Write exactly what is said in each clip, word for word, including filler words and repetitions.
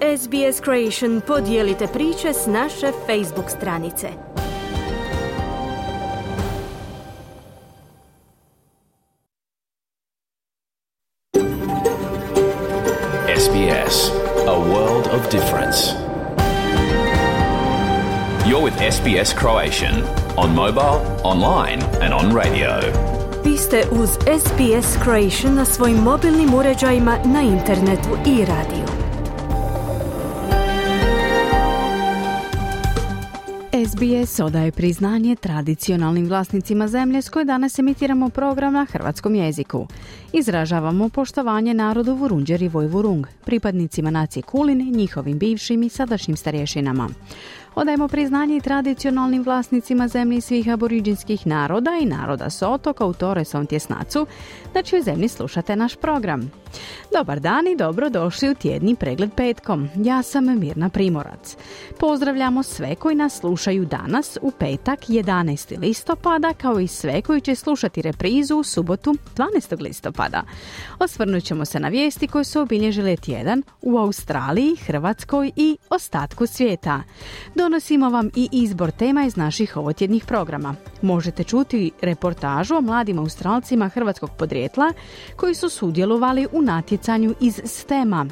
S B S Creation podijelite priče s naše Facebook stranice. S B S, a world of difference. You're with S B S Croatian on mobile, online and on radio. Vi ste uz S B S Croatian na svojim mobilnim uređajima, na internetu i radiju. S B S odaje priznanje tradicionalnim vlasnicima zemlje s koje danas emitiramo program na hrvatskom jeziku. Izražavamo poštovanje narodu Vurundjer i Vojvurung, pripadnicima nacije Kulin, njihovim bivšim i sadašnjim starješinama. Odajemo priznanje i tradicionalnim vlasnicima zemlji svih aboriđinskih naroda i naroda s otoka u Torresom tjesnacu, na čijoj zemlji slušate naš program. Dobar dan i dobrodošli u tjedni pregled petkom. Ja sam Mirna Primorac. Pozdravljamo sve koji nas slušaju danas u petak jedanaestog listopada, kao i sve koji će slušati reprizu u subotu dvanaestog listopada. Osvrnut ćemo se na vijesti koje su obilježile tjedan u Australiji, Hrvatskoj i ostatku svijeta. Donosimo vam i izbor tema iz naših ovotjednih programa. Možete čuti reportažu o mladim Australcima hrvatskog podrijetla koji su sudjelovali u natjecanju iz stema.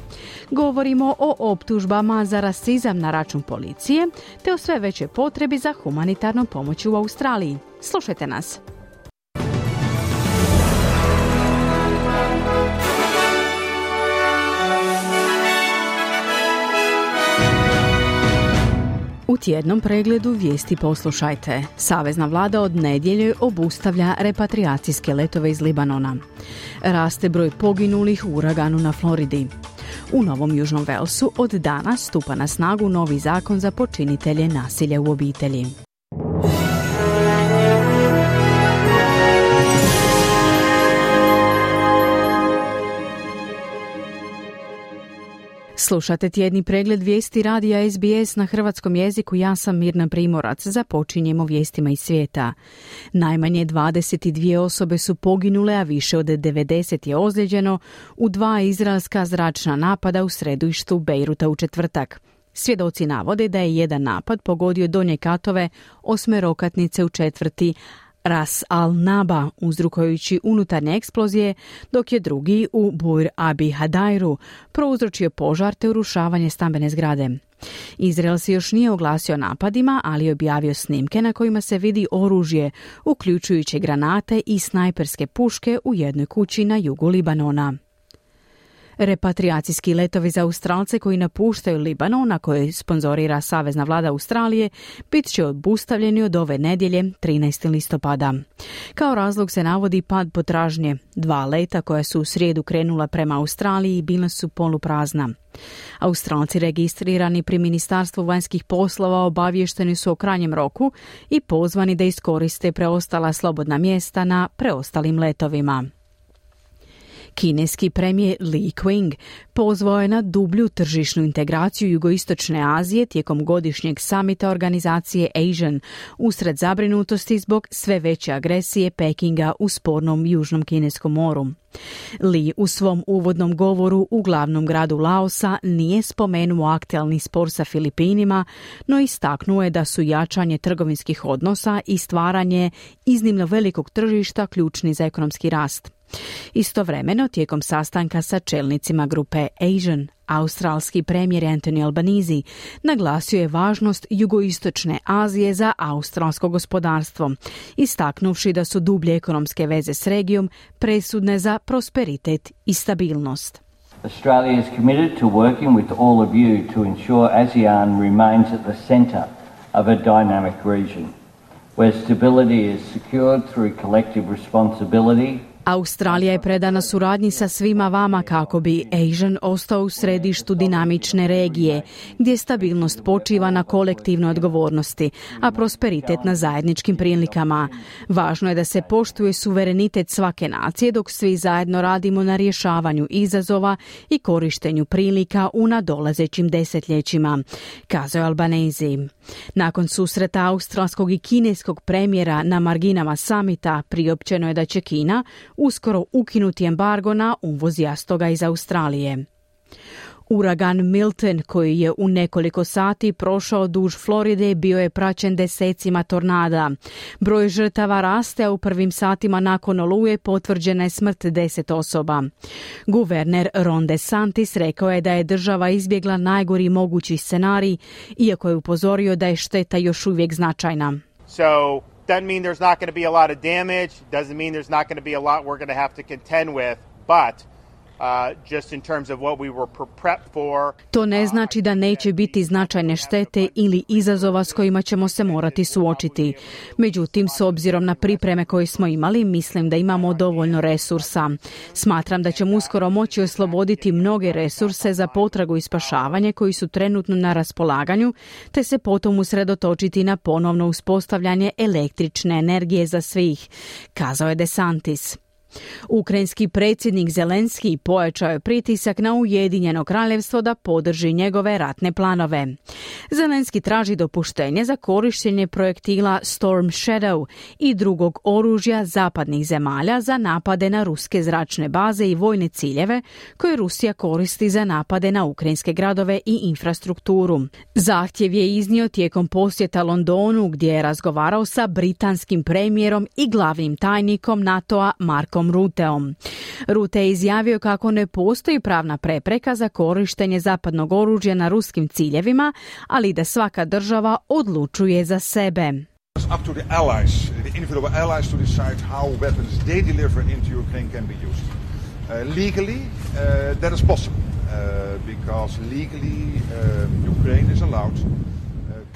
Govorimo o optužbama za rasizam na račun policije, te o sve većoj potrebi za humanitarnom pomoći u Australiji. Slušajte nas. U tjednom pregledu vijesti poslušajte. Savezna vlada od nedjelje obustavlja repatriacijske letove iz Libanona. Raste broj poginulih u uraganu na Floridi. U Novom Južnom Velsu od danas stupa na snagu novi zakon za počinitelje nasilja u obitelji. Slušate tjedni pregled vijesti radija S B S na hrvatskom jeziku. Ja sam Mirna Primorac. Započinjemo vijestima iz svijeta. Najmanje dvadeset dvije osobe su poginule, a više od devedeset je ozlijeđeno u dva izraelska zračna napada u središtu Bejruta u četvrtak. Svjedoci navode da je jedan napad pogodio donje katove osmerokatnice u četvrti Ras al-Naba, uzrokujući unutarnje eksplozije, dok je drugi u Bur Abi Hadairu prouzročio požar te urušavanje stambene zgrade. Izrael se još nije oglasio napadima, ali je objavio snimke na kojima se vidi oružje, uključujući granate i snajperske puške u jednoj kući na jugu Libanona. Repatriacijski letovi za Australce koji napuštaju Libanon, na koje sponzorira Savezna vlada Australije, bit će obustavljeni od ove nedjelje trinaestog listopada. Kao razlog se navodi pad potražnje. Dva leta koja su u srijedu krenula prema Australiji bila su poluprazna. Australci registrirani pri Ministarstvu vanjskih poslova obavješteni su o krajnjem roku i pozvani da iskoriste preostala slobodna mjesta na preostalim letovima. Kineski premijer Li Qiang pozvao je na dublju tržišnu integraciju jugoistočne Azije tijekom godišnjeg samita organizacije ASEAN usred zabrinutosti zbog sve veće agresije Pekinga u spornom Južnom Kineskom moru. Li u svom uvodnom govoru u glavnom gradu Laosa nije spomenuo aktualni spor sa Filipinima, no istaknuo je da su jačanje trgovinskih odnosa i stvaranje iznimno velikog tržišta ključni za ekonomski rast. Istovremeno, tijekom sastanka sa čelnicima grupe ASEAN, australski premijer Anthony Albanese naglasio je važnost jugoistočne Azije za australsko gospodarstvo, istaknuvši da su dublje ekonomske veze s regijom presudne za prosperitet i stabilnost. Australia is committed to working with all of you to ensure ASEAN remains at the centre of a dynamic region, where stability is secured through collective responsibility. Australija je predana suradnji sa svima vama kako bi ASEAN ostao u središtu dinamične regije, gdje stabilnost počiva na kolektivnoj odgovornosti, a prosperitet na zajedničkim prilikama. Važno je da se poštuje suverenitet svake nacije dok svi zajedno radimo na rješavanju izazova i korištenju prilika u nadolazećim desetljećima, kazao je Albanese. Nakon susreta australskog i kineskog premijera na marginama samita priopćeno je da će Kina uskoro ukinuti embargo na uvoz jastoga iz Australije. Uragan Milton, koji je u nekoliko sati prošao duž Floride, bio je praćen desecima tornada. Broj žrtava raste, a u prvim satima nakon oluje potvrđena je smrt deset osoba. Guverner Ron DeSantis rekao je da je država izbjegla najgori mogući scenarij, iako je upozorio da je šteta još uvijek značajna. So, doesn't mean there's not going to be a lot of damage, doesn't mean there's not going to be a lot we're going to have to contend with, but Uh, just in terms of what we were prepped for. To ne znači da neće biti značajne štete ili izazova s kojima ćemo se morati suočiti. Međutim, s obzirom na pripreme koje smo imali, mislim da imamo dovoljno resursa. Smatram da ćemo uskoro moći osloboditi mnoge resurse za potragu i spašavanje koji su trenutno na raspolaganju, te se potom usredotočiti na ponovno uspostavljanje električne energije za svih, kazao je DeSantis. Ukrajinski predsjednik Zelenski pojačao je pritisak na Ujedinjeno kraljevstvo da podrži njegove ratne planove. Zelenski traži dopuštenje za korištenje projektila Storm Shadow i drugog oružja zapadnih zemalja za napade na ruske zračne baze i vojne ciljeve koje Rusija koristi za napade na ukrajinske gradove i infrastrukturu. Zahtjev je iznio tijekom posjeta Londonu, gdje je razgovarao sa britanskim premijerom i glavnim tajnikom NATO-a Markom Ruteom. Rute je izjavio kako ne postoji pravna prepreka za korištenje zapadnog oružja na ruskim ciljevima, ali da svaka država odlučuje za sebe. It's up to the allies, the individual allies to decide how weapons they deliver into Ukraine can be used. Uh, legally, uh, that is possible, uh, because legally uh, Ukraine is allowed.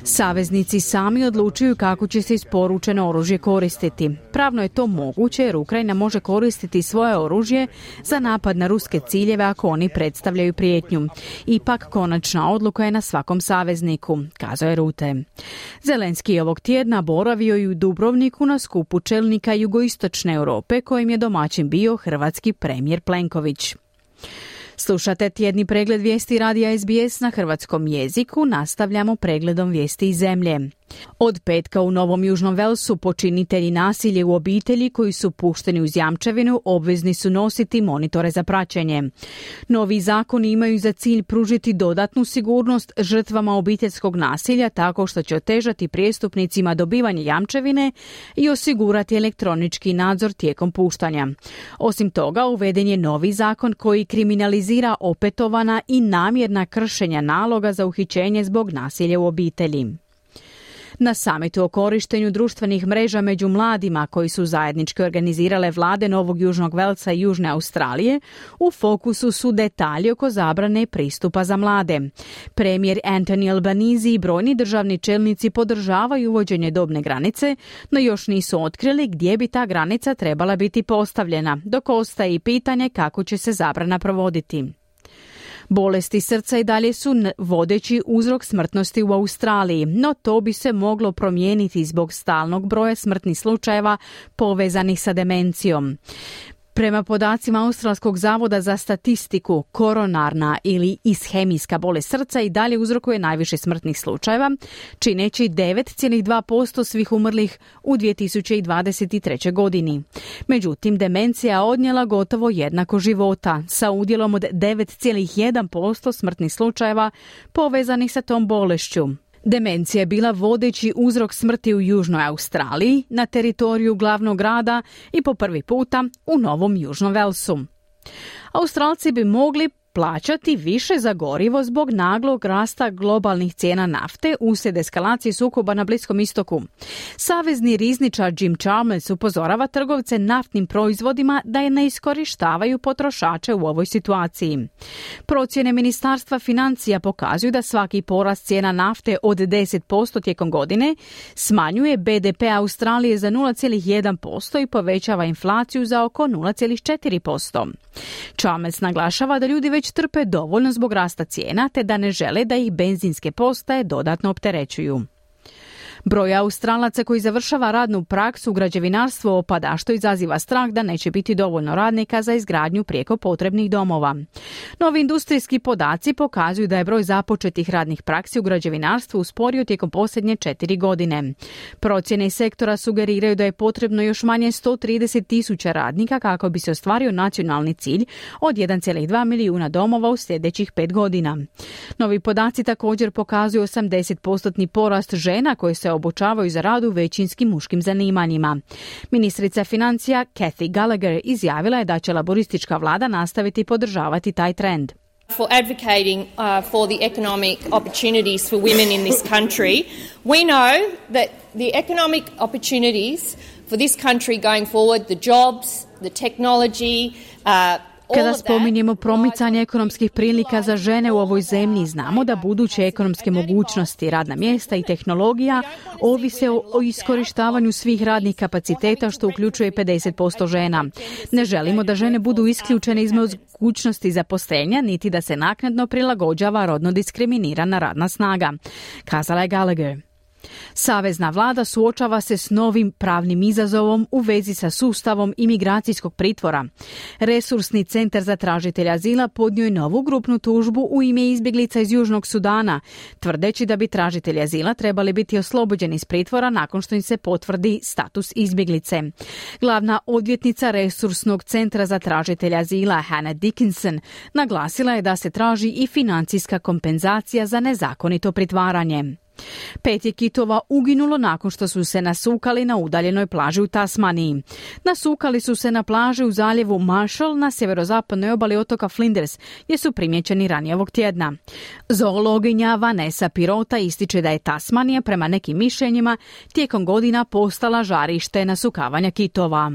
Saveznici sami odlučuju kako će se isporučeno oružje koristiti. Pravno je to moguće jer Ukrajina može koristiti svoje oružje za napad na ruske ciljeve ako oni predstavljaju prijetnju. Ipak konačna odluka je na svakom savezniku, kazao je Rute. Zelenski je ovog tjedna boravio i u Dubrovniku na skupu čelnika jugoistočne Europe kojim je domaćin bio hrvatski premijer Plenković. Slušate tjedni pregled vijesti radija S B S na hrvatskom jeziku, nastavljamo pregledom vijesti iz zemlje. Od petka u Novom Južnom Velsu počinitelji nasilja u obitelji koji su pušteni uz jamčevinu obvezni su nositi monitore za praćenje. Novi zakoni imaju za cilj pružiti dodatnu sigurnost žrtvama obiteljskog nasilja tako što će otežati prijestupnicima dobivanje jamčevine i osigurati elektronički nadzor tijekom puštanja. Osim toga, uveden je novi zakon koji kriminalizira opetovana i namjerna kršenja naloga za uhićenje zbog nasilja u obitelji. Na samitu o korištenju društvenih mreža među mladima koji su zajednički organizirale vlade Novog Južnog Velsa i Južne Australije, u fokusu su detalji oko zabrane pristupa za mlade. Premijer Anthony Albanese i brojni državni čelnici podržavaju uvođenje dobne granice, no još nisu otkrili gdje bi ta granica trebala biti postavljena, dok ostaje i pitanje kako će se zabrana provoditi. Bolesti srca i dalje su vodeći uzrok smrtnosti u Australiji, no to bi se moglo promijeniti zbog stalnog broja smrtnih slučajeva povezanih sa demencijom. Prema podacima Australskog zavoda za statistiku, koronarna ili ishemijska bolest srca i dalje uzrokuje najviše smrtnih slučajeva, čineći devet zarez dva posto svih umrlih u dvije tisuće dvadeset trećoj godini. Međutim, demencija odnijela gotovo jednako života, sa udjelom od devet zarez jedan posto smrtnih slučajeva povezanih sa tom bolešću. Demencija je bila vodeći uzrok smrti u Južnoj Australiji, na teritoriju glavnog grada i po prvi puta u Novom Južnom Velsu. Australci bi mogli plaćati više za gorivo zbog naglog rasta globalnih cijena nafte uslijed eskalacije sukoba na Bliskom istoku. Savezni rizničar Jim Chalmers upozorava trgovce naftnim proizvodima da je ne iskorištavaju potrošače u ovoj situaciji. Procjene Ministarstva financija pokazuju da svaki porast cijena nafte od deset posto tijekom godine smanjuje B D P Australije za nula zarez jedan posto i povećava inflaciju za oko nula zarez četiri posto. Chalmers naglašava da ljudi već trpe dovoljno zbog rasta cijena te da ne žele da ih benzinske postaje dodatno opterećuju. Broj Australaca koji završava radnu praksu u građevinarstvu opada, što izaziva strah da neće biti dovoljno radnika za izgradnju prijeko potrebnih domova. Novi industrijski podaci pokazuju da je broj započetih radnih praksi u građevinarstvu usporio tijekom posljednje četiri godine. Procjene sektora sugeriraju da je potrebno još manje sto trideset tisuća radnika kako bi se ostvario nacionalni cilj od jedan zarez dva milijuna domova u sljedećih pet godina. Novi podaci također pokazuju osamdeset posto porast žena koje se obučavaju za rad u većinskim muškim zanimanjima. Ministrica financija Kathy Gallagher izjavila je da će laboristička vlada nastaviti podržavati taj trend. For advocating uh, for the economic opportunities for women in this country, we know that the economic opportunities for this country going forward, the jobs, the technology, uh, Kada spominjemo promicanje ekonomskih prilika za žene u ovoj zemlji, znamo da buduće ekonomske mogućnosti, radna mjesta i tehnologija ovise o, o iskorištavanju svih radnih kapaciteta, što uključuje pedeset posto žena. Ne želimo da žene budu isključene iz mogućnosti zaposlenja, niti da se naknadno prilagođava rodno diskriminirana radna snaga, kazala je Gallagher. Savezna vlada suočava se s novim pravnim izazovom u vezi sa sustavom imigracijskog pritvora. Resursni centar za tražitelja azila podnio je novu grupnu tužbu u ime izbjeglica iz Južnog Sudana, tvrdeći da bi tražitelji azila trebali biti oslobođeni iz pritvora nakon što im se potvrdi status izbjeglice. Glavna odvjetnica Resursnog centra za tražitelja azila Hannah Dickinson naglasila je da se traži i financijska kompenzacija za nezakonito pritvaranje. Pet je kitova uginulo nakon što su se nasukali na udaljenoj plaži u Tasmaniji. Nasukali su se na plaži u zaljevu Marshall na sjeverozapadnoj obali otoka Flinders, gdje su primjećeni ranije ovog tjedna. Zoologinja Vanessa Pirota ističe da je Tasmanija prema nekim mišljenjima tijekom godina postala žarište nasukavanja kitova.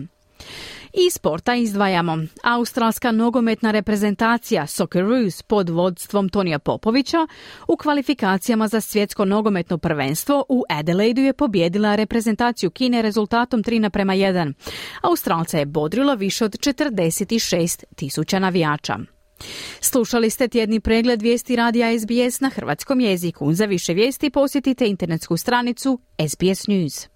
I sporta izdvajamo. Australska nogometna reprezentacija Socceroos pod vodstvom Tonija Popovića u kvalifikacijama za svjetsko nogometno prvenstvo u Adelaidu je pobijedila reprezentaciju Kine rezultatom tri naprema jedan. Australca je bodrilo više od četrdeset šest tisuća navijača. Slušali ste tjedni pregled vijesti radija S B S na hrvatskom jeziku. Za više vijesti posjetite internetsku stranicu S B S News.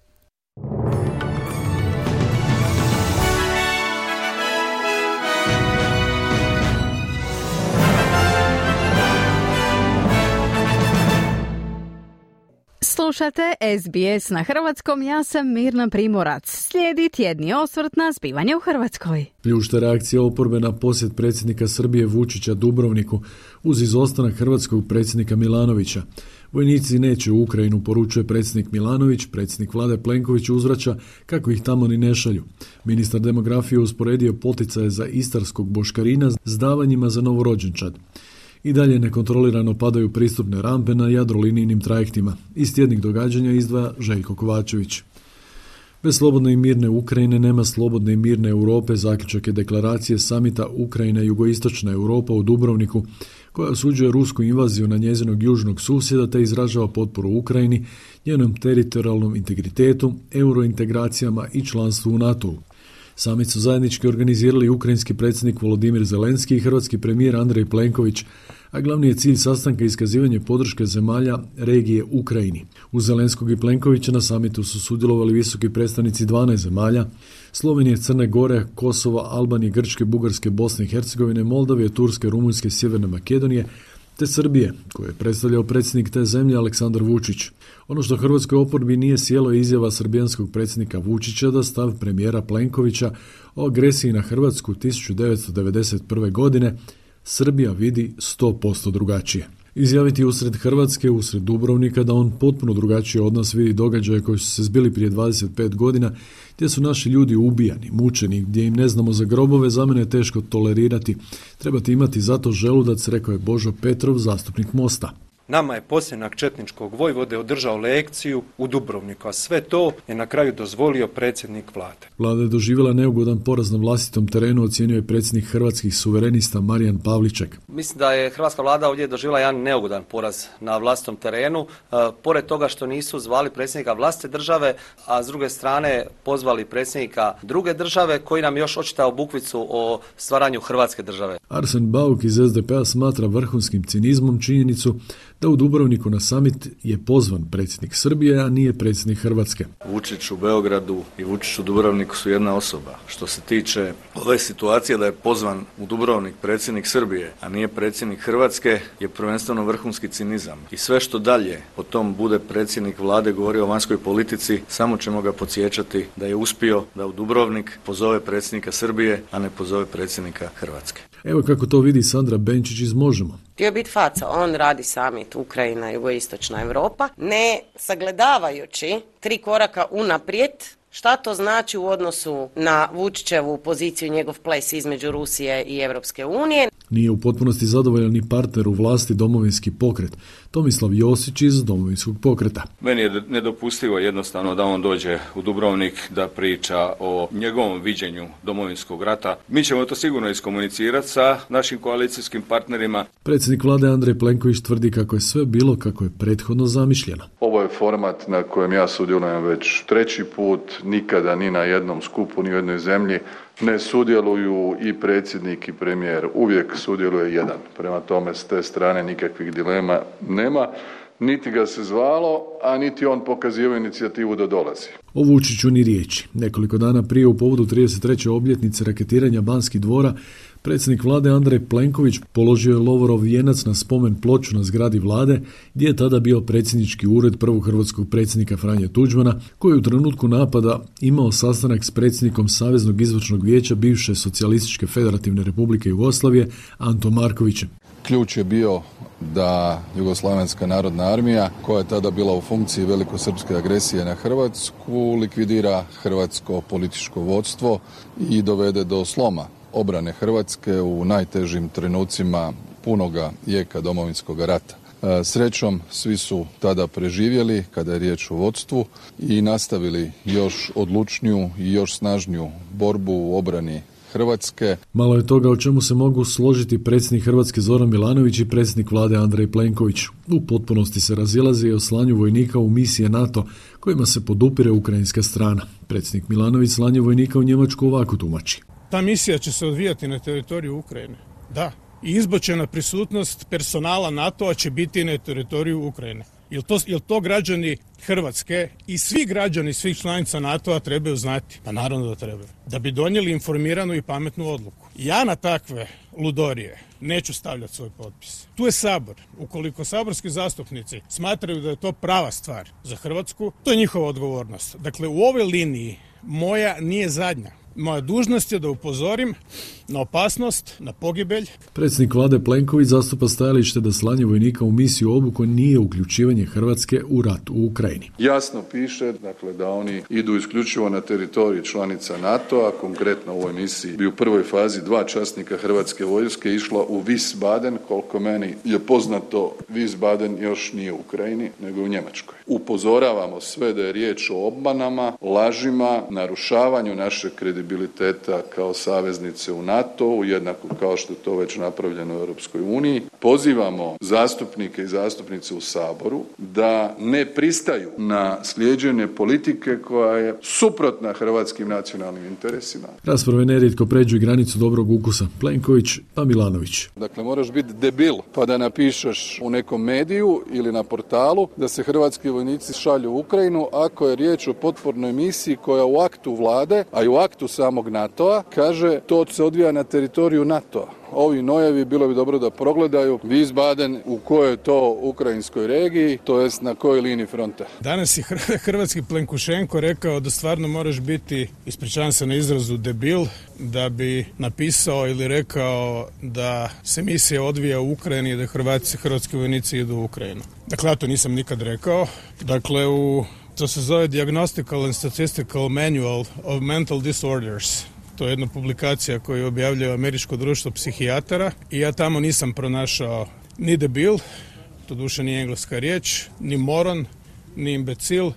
Slušate S B S na hrvatskom, ja sam Mirna Primorac. Slijedi tjedni osvrt na zbivanje u Hrvatskoj. Pljušta reakcija oporbe na posjet predsjednika Srbije Vučića Dubrovniku uz izostanak hrvatskog predsjednika Milanovića. Vojnici neće u Ukrajinu, poručuje predsjednik Milanović, predsjednik vlade Plenković uzvraća kako ih tamo ni ne šalju. Ministar demografije usporedio poticaje za istarskog boškarina s davanjima za novorođenčad. I dalje nekontrolirano padaju pristupne rampe na jadrolinijnim trajektima. Iz tjednih događanja izdvaja Željko Kovačević. Bez slobodne i mirne Ukrajine nema slobodne i mirne Europe, zaključak je deklaracije samita Ukrajina i jugoistočna Europa u Dubrovniku, koja osuđuje rusku invaziju na njezinog južnog susjeda te izražava potporu Ukrajini, njenom teritorijalnom integritetu, eurointegracijama i članstvu u NATO-u. Samit su zajednički organizirali ukrajinski predsjednik Volodimir Zelenski i hrvatski premijer Andrej Plenković, a glavni je cilj sastanka iskazivanje podrške zemalja regije Ukrajini. Uz Zelenskog i Plenkovića na samitu su sudjelovali visoki predstavnici dvanaest zemalja, Slovenije, Crne Gore, Kosova, Albanije, Grčke, Bugarske, Bosne i Hercegovine, Moldavije, Turske, Rumunjske, Sjeverne Makedonije, te Srbije, koje je predstavljao predsjednik te zemlje Aleksandar Vučić. Ono što hrvatskoj oporbi nije sjelo je izjava srbijanskog predsjednika Vučića da stav premijera Plenkovića o agresiji na Hrvatsku tisuću devetsto devedeset prve. godine Srbija vidi sto posto drugačije. Izjaviti usred Hrvatske, usred Dubrovnika, da on potpuno drugačije od nas vidi događaje koji su se zbili prije dvadeset pet godina, gdje su naši ljudi ubijani, mučeni, gdje im ne znamo za grobove, za mene je teško tolerirati. Trebate imati zato želudac, rekao je Božo Petrov, zastupnik Mosta. Nama je posljednjak četničkog vojvode održao lekciju u Dubrovniku, a sve to je na kraju dozvolio predsjednik vlade. Vlada je doživjela neugodan poraz na vlastitom terenu, ocijenio je predsjednik Hrvatskih suverenista Marijan Pavliček. Mislim da je hrvatska vlada ovdje doživjela jedan neugodan poraz na vlastitom terenu, e, pored toga što nisu zvali predsjednika vlastite države, a s druge strane pozvali predsjednika druge države koji nam još očitao bukvicu o stvaranju Hrvatske države. Arsen Bauk iz S D P-a smatra vrhunskim cinizmom činjenicu da u Dubrovniku na summit je pozvan predsjednik Srbije, a nije predsjednik Hrvatske. Vučić u Beogradu i Vučić u Dubrovniku su jedna osoba. Što se tiče ove situacije da je pozvan u Dubrovnik predsjednik Srbije, a nije predsjednik Hrvatske, je prvenstveno vrhunski cinizam. I sve što dalje po tom bude predsjednik vlade govorio o vanjskoj politici, samo ćemo ga podsjećati da je uspio da u Dubrovnik pozove predsjednika Srbije, a ne pozove predsjednika Hrvatske. Evo kako to vidi Sandra Benčić iz Možemo. Htio biti faca, on radi summit Ukrajina, jugoistočna Europa, ne sagledavajući tri koraka unaprijed šta to znači u odnosu na Vučićevu poziciju, njegov ples između Rusije i Europske unije. Nije u potpunosti zadovoljan ni partner u vlasti Domovinski pokret, Tomislav Josić iz Domovinskog pokreta. Meni je nedopustivo jednostavno da on dođe u Dubrovnik da priča o njegovom viđenju Domovinskog rata. Mi ćemo to sigurno iskomunicirati sa našim koalicijskim partnerima. Predsjednik vlade Andrej Plenković tvrdi kako je sve bilo kako je prethodno zamišljeno. Ovo je format na kojem ja sudjelujem već treći put, nikada ni na jednom skupu, ni u jednoj zemlji ne sudjeluju i predsjednik i premijer, uvijek sudjeluje jedan. Prema tome, s te strane nikakvih dilema nema, niti ga se zvalo, a niti on pokazivao inicijativu da dolazi. O Vučiću ni riječi. Nekoliko dana prije u povodu trideset treće obljetnice raketiranja Banskih dvora, predsjednik vlade Andrej Plenković položio je lovorov vijenac na spomen ploču na zgradi vlade, gdje je tada bio predsjednički ured prvog hrvatskog predsjednika Franje Tuđmana, koji je u trenutku napada imao sastanak s predsjednikom Saveznog izvršnog vijeća bivše Socijalističke federativne republike Jugoslavije Antom Markovićem. Ključ je bio da Jugoslavenska narodna armija, koja je tada bila u funkciji velikosrpske agresije na Hrvatsku, likvidira hrvatsko političko vodstvo i dovede do sloma obrane Hrvatske u najtežim trenucima punoga jeka Domovinskog rata. Srećom, svi su tada preživjeli kada je riječ o vodstvu i nastavili još odlučniju i još snažniju borbu u obrani Hrvatske. Malo je toga o čemu se mogu složiti predsjednik Hrvatske Zoran Milanović i predsjednik vlade Andrej Plenković. U potpunosti se razilaze i o slanju vojnika u misije NATO kojima se podupire ukrajinska strana. Predsjednik Milanović slanje vojnika u Njemačku ovako tumači. Ta misija će se odvijati na teritoriju Ukrajine. Da. I izbočena prisutnost personala NATO-a će biti na teritoriju Ukrajine. Jel to, jel to građani Hrvatske i svi građani svih članica NATO-a trebaju znati? Pa naravno da trebaju. Da bi donijeli informiranu i pametnu odluku. Ja na takve ludorije neću stavljati svoj potpis. Tu je Sabor. Ukoliko saborski zastupnici smatraju da je to prava stvar za Hrvatsku, to je njihova odgovornost. Dakle, u ovoj liniji moja nije zadnja. Moja dužnost je da upozorim na opasnost, na pogibelj. Predsjednik vlade Plenković zastupa stajalište da slanje vojnika u misiju obuku nije uključivanje Hrvatske u rat u Ukrajini. Jasno piše, dakle, da oni idu isključivo na teritorij članica NATO-a, konkretno u ovoj misiji bi u prvoj fazi dva časnika Hrvatske vojske išla u Wiesbaden, koliko meni je poznato, Wiesbaden još nije u Ukrajini, nego u Njemačkoj. Upozoravamo sve da je riječ o obmanama, lažima, narušavanju naše kredibiliteta kao saveznice u NATO-u, jednako kao što je to već napravljeno u Europskoj uniji. Pozivamo zastupnike i zastupnice u Saboru da ne pristaju na slijeđenje politike koja je suprotna hrvatskim nacionalnim interesima. Rasprave nerijetko pređu i granicu dobrog ukusa. Plenković pa Milanović. Dakle, moraš biti debil pa da napišeš u nekom mediju ili na portalu da se hrvatski vojnici šalju u Ukrajinu ako je riječ o potpornoj misiji koja u aktu vlade, a i u aktu samog NATO-a, kaže to se odvija na teritoriju NATO-a. Ovi nojevi bilo bi dobro da progledaju Wiesbaden u kojoj to ukrajinskoj regiji, to jest na kojoj liniji fronta. Danas je hrvatski Plenkušenko rekao da stvarno moraš biti, ispričavam se na izrazu, debil, da bi napisao ili rekao da se misija odvija u Ukrajini i da Hrvatski, hrvatski vojnici idu u Ukrajinu. Dakle, ja to nisam nikad rekao. Dakle, u, to se zove Diagnostical and Statistical Manual of Mental Disorders. To je jedna publikacija koju objavljuje Američko društvo psihijatara i ja tamo nisam pronašao ni debil, to duše nije engleska riječ, ni moron, ni imbecil.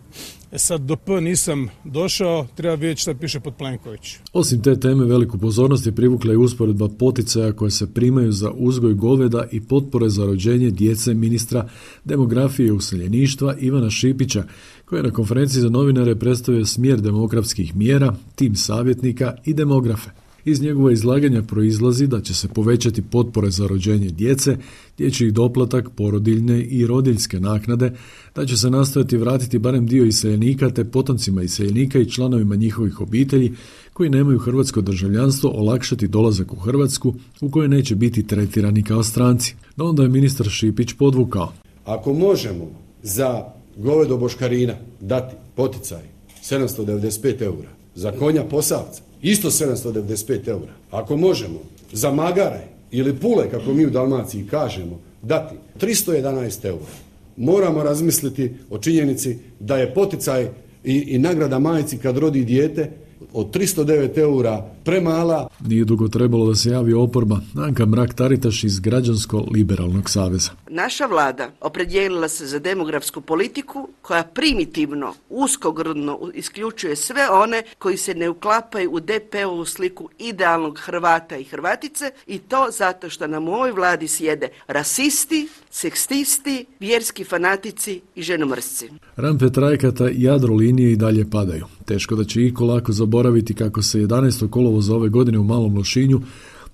E sad do P nisam došao, treba vidjeti šta piše pod Plenković. Osim te teme veliku pozornost je privukla i usporedba poticaja koje se primaju za uzgoj goveda i potpore za rođenje djece ministra demografije i useljeništva Ivana Šipića, koji je na konferenciji za novinare predstavio smjer demografskih mjera, tim savjetnika i demografe. Iz njegova izlaganja proizlazi da će se povećati potpore za rođenje djece, dječji doplatak, porodiljne i rodiljske naknade, da će se nastojati vratiti barem dio iseljenika te potomcima iseljenika i članovima njihovih obitelji koji nemaju hrvatsko državljanstvo olakšati dolazak u Hrvatsku u kojoj neće biti tretirani kao stranci. No onda je ministar Šipić podvukao. Ako možemo za govedo boškarina dati poticaj sedamsto devedeset pet eura, za konja posavca isto sedamsto devedeset pet eura, ako možemo za magare ili pule, kako mi u Dalmaciji kažemo, dati tristo jedanaest eura, moramo razmisliti o činjenici da je poticaj i, i nagrada majci kad rodi dijete od tristo devet eura premala. Nije dugo trebalo da se javi oporba. Anka Mrak-Taritaš iz Građansko-liberalnog saveza. Naša vlada opredijelila se za demografsku politiku koja primitivno, uskogrudno isključuje sve one koji se ne uklapaju u de pe ovu sliku idealnog Hrvata i Hrvatice i to zato što nam u ovoj vladi sjede rasisti, seksisti, vjerski fanatici i ženomrsci. Rampe trajekata i Jadrolinije i dalje padaju. Teško da će iko lako zaboraviti kako se jedanaestog kolovoza ove godine u Malom Lošinju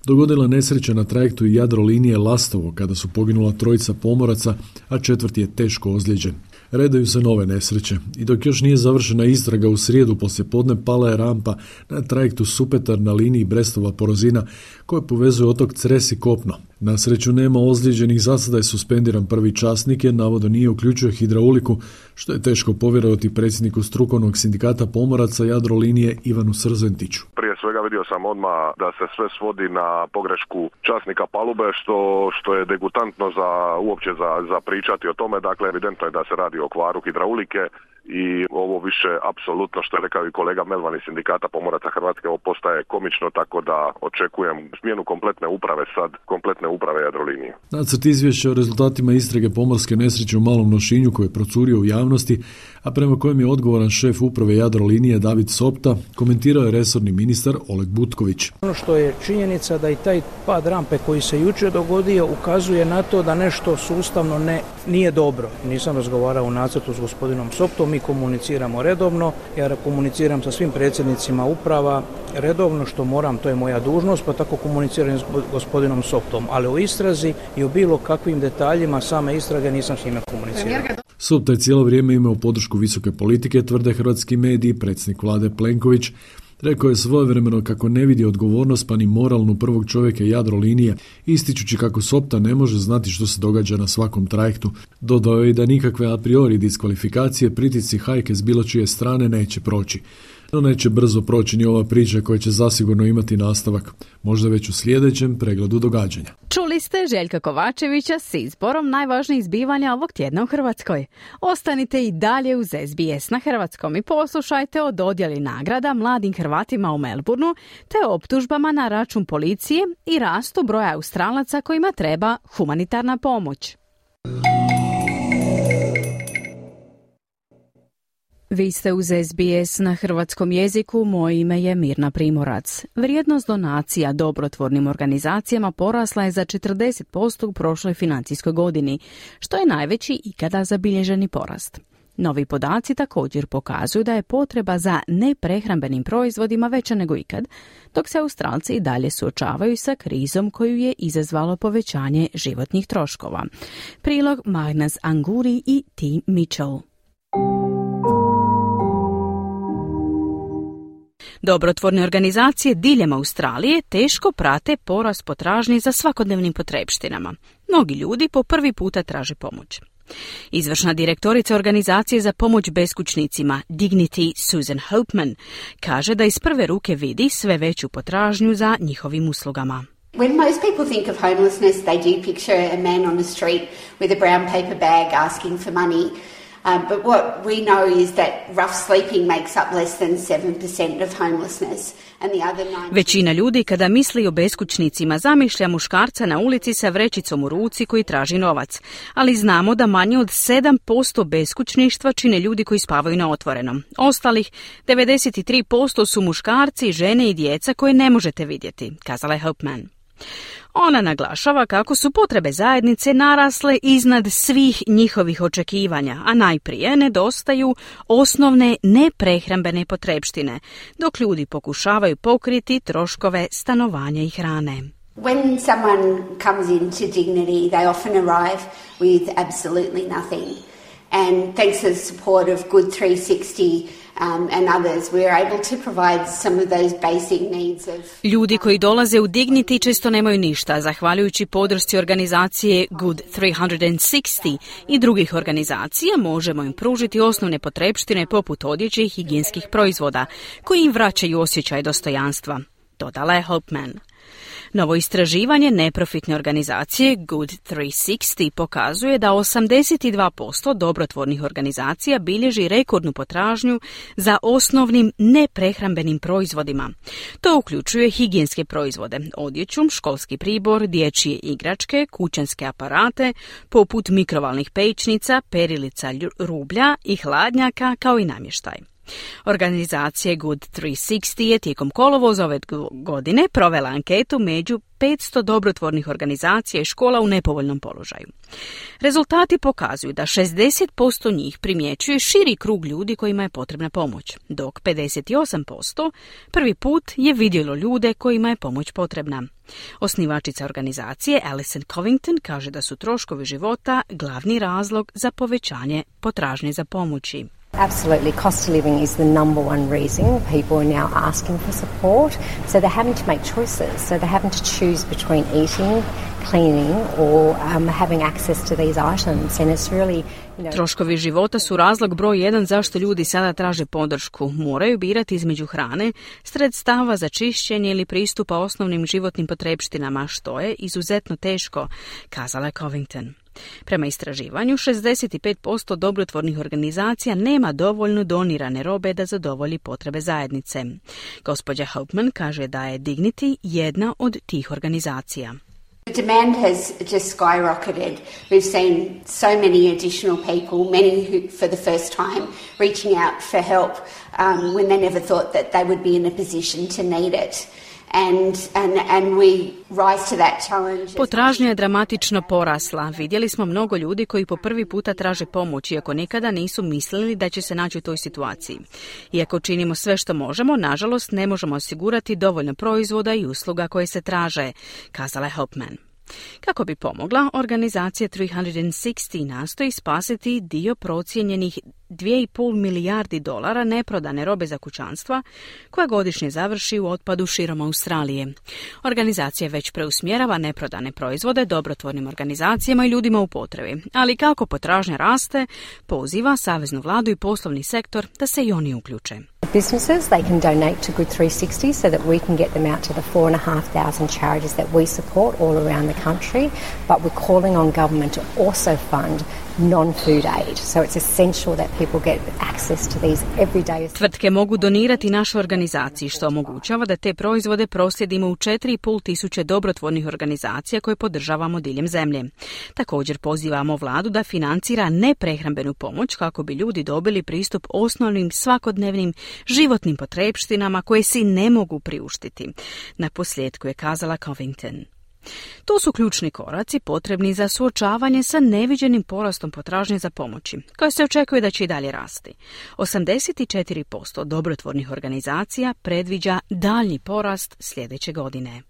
dogodila nesreća na trajektu Jadrolinije Lastovo kada su poginula trojica pomoraca, a četvrti je teško ozlijeđen. Redaju se nove nesreće i dok još nije završena istraga u srijedu poslijepodne pala je rampa na trajektu Supetar na liniji Brestova-Porozina koja povezuje otok Cres i kopno. Na sreću nema ozlijeđenih, za sada je suspendiran prvi časnik jer navodno nije uključio hidrauliku, što je teško povjerovati predsjedniku strukovnog sindikata pomoraca Jadrolinije Ivanu Srzentiću. Prije svega vidio sam odmah da se sve svodi na pogrešku časnika palube, što, što je degutantno za, uopće za, za pričati o tome. Dakle, evidentno je da se radi o kvaru hidraulike i ovo više apsolutno, što je rekao i kolega Melvan iz sindikata pomoraca Hrvatske, ovo postaje komično, tako da očekujem smjenu kompletne uprave sad, kompletne uprave Jadrolinije. Nacrt izvješća o rezultatima istrage pomorske nesreće u Malom Lošinju koji je procurio u javnosti, a prema kojem je odgovoran šef uprave Jadrolinije David Sopta, komentirao je resorni ministar Oleg Butković. Ono što je činjenica da i taj pad rampe koji se jučer dogodio ukazuje na to da nešto sustavno ne, nije dobro. Nisam razgovarao u nacrtu s gospodinom Soptom, mi komuniciramo redovno, ja komuniciram sa svim predsjednicima uprava redovno što moram, to je moja dužnost, pa tako komuniciram s gospodinom Soptom, ali o istrazi i o bilo kakvim detaljima same istrage nisam s njime komunicirao. Sopta je cijelo vrijeme imao podršku visoke politike, tvrde hrvatski mediji. Predsjednik vlade Plenković rekao je svojevremeno kako ne vidi odgovornost pa ni moralnu prvog čovjeka Jadrolinije, ističući kako Sopta ne može znati što se događa na svakom trajektu. Dodao je da nikakve a priori diskvalifikacije, pritisci, hajke s bilo čije strane neće proći. No neće brzo proći ni ova priča koja će zasigurno imati nastavak, možda već u sljedećem pregledu događanja. Čuli ste Željka Kovačevića s izborom najvažnijih zbivanja ovog tjedna u Hrvatskoj. Ostanite i dalje uz es be es na hrvatskom i poslušajte o dodjeli nagrada mladim Hrvatima u Melbourneu te optužbama na račun policije i rastu broja Australaca kojima treba humanitarna pomoć. Vi ste uz es be es na hrvatskom jeziku, moje ime je Mirna Primorac. Vrijednost donacija dobrotvornim organizacijama porasla je za četrdeset posto u prošloj financijskoj godini, što je najveći ikada zabilježeni porast. Novi podaci također pokazuju da je potreba za neprehrambenim proizvodima veća nego ikad, dok se Australci i dalje suočavaju sa krizom koju je izazvalo povećanje životnih troškova. Prilog Magnus Anguri i T. Mitchell. Dobrotvorne organizacije diljem Australije teško prate porast potražnje za svakodnevnim potrepštinama. Mnogi ljudi po prvi puta traže pomoć. Izvršna direktorica organizacije za pomoć beskućnicima Dignity Susan Hopeman kaže da iz prve ruke vidi sve veću potražnju za njihovim uslugama. When most people think of homelessness, they do picture a man on the street with a brown paper bag asking for money. Um, but what we know is that rough sleeping makes up less than seven percent of homelessness. And the other nine... Većina ljudi kada misli o beskućnicima zamišlja muškarca na ulici sa vrećicom u ruci koji traži novac. Ali znamo da manje od sedam posto beskućništva čine ljudi koji spavaju na otvorenom. Ostalih devedeset tri posto su muškarci, žene i djeca koje ne možete vidjeti, kazala je Hopeman. Ona naglašava kako su potrebe zajednice narasle iznad svih njihovih očekivanja, a najprije nedostaju osnovne neprehrambene potrepštine, dok ljudi pokušavaju pokriti troškove stanovanja i hrane. When someone comes into Dignity, they often arrive with absolutely nothing. And thanks to the support of Good three sixty um, and others, we are able to provide some of those basic needs of... Ljudi koji dolaze u Dignity često nemaju ništa, zahvaljujući podršci organizacije Good tri šezdeset i drugih organizacija možemo im pružiti osnovne potrepštine poput odjeće i higijenskih proizvoda, koji im vraćaju osjećaj dostojanstva, dodala je Hopeman. Novo istraživanje neprofitne organizacije Good tri šezdeset pokazuje da osamdeset dva posto dobrotvornih organizacija bilježi rekordnu potražnju za osnovnim neprehrambenim proizvodima. To uključuje higijenske proizvode, odjeću, školski pribor, dječje igračke, kućanske aparate, poput mikrovalnih pećnica, perilica rublja i hladnjaka, kao i namještaj. Organizacija Good tri šezdeset je tijekom kolovoza ove godine provela anketu među petsto dobrotvornih organizacija i škola u nepovoljnom položaju. Rezultati pokazuju da šezdeset posto njih primjećuje širi krug ljudi kojima je potrebna pomoć, dok pedeset osam posto prvi put je vidjelo ljude kojima je pomoć potrebna. Osnivačica organizacije Alison Covington kaže da su troškovi života glavni razlog za povećanje potražnje za pomoći. Absolutely. Cost of living is the number one reason people are now asking for support. So they're having to make choices. So they're having to choose between eating, cleaning or um, having access to these items. And it's really, you know... Troškovi života su razlog broj jedan zašto ljudi sada traže podršku. Moraju birati između hrane, sredstava za čišćenje ili pristupa osnovnim životnim potrepštinama, što je izuzetno teško, kazala je Covington. Prema istraživanju, šezdeset pet posto dobrotvornih organizacija nema dovoljno donirane robe da zadovolji potrebe zajednice. Gospođa Hopeman kaže da je Dignity jedna od tih organizacija. The demand has just skyrocketed. We've seen so many additional people, many who, for the first time, reaching out for help um, when they never thought that they would be in a position to need it. And, and, and we rise to that challenge. Potražnja je dramatično porasla. Vidjeli smo mnogo ljudi koji po prvi puta traže pomoć, iako nikada nisu mislili da će se naći u toj situaciji. Iako činimo sve što možemo, nažalost ne možemo osigurati dovoljno proizvoda i usluga koje se traže, kazala je Hopeman. Kako bi pomogla, organizacija tri šezdeset nastoji spasiti dio procijenjenih dvije i pol milijardi dolara neprodane robe za kućanstva koja godišnje završi u otpadu širom Australije. Organizacija već preusmjerava neprodane proizvode dobrotvornim organizacijama i ljudima u potrebi, ali kako potražnja raste, poziva saveznu vladu i poslovni sektor da se i oni uključe. Businesses, they can donate to Good tri šezdeset so that we can get them out to the four and a half thousand charities that we support all around the country, but we're calling on government to also fund non-food aid. So it's essential that people get access to these everyday... Tvrtke mogu donirati našoj organizaciji, što omogućava da te proizvode proslijedimo u četiri i pol tisuće dobrotvornih organizacija koje podržavamo diljem zemlje. Također pozivamo vladu da financira neprehrambenu pomoć kako bi ljudi dobili pristup osnovnim svakodnevnim životnim potrepštinama koje si ne mogu priuštiti. Na posljedku je kazala Covington. To su ključni koraci potrebni za suočavanje sa neviđenim porastom potražnje za pomoći, koja se očekuje da će i dalje rasti. osamdeset četiri posto dobrotvornih organizacija predviđa daljnji porast sljedeće godine.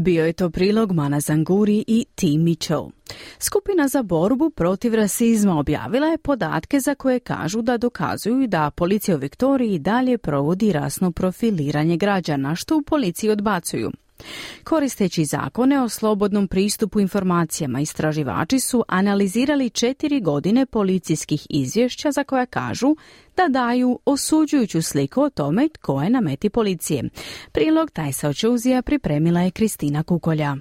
Bio je to prilog Mana Zanguri i T. Mitchell. Skupina za borbu protiv rasizma objavila je podatke za koje kažu da dokazuju da policija u Viktoriji dalje provodi rasno profiliranje građana, što u policiji odbacuju. Koristeći zakone o slobodnom pristupu informacijama, istraživači su analizirali četiri godine policijskih izvješća za koja kažu da daju osuđujuću sliku o tome tko je na meti policije. Prilog Tajsa Očuzija pripremila je Kristina Kukolja.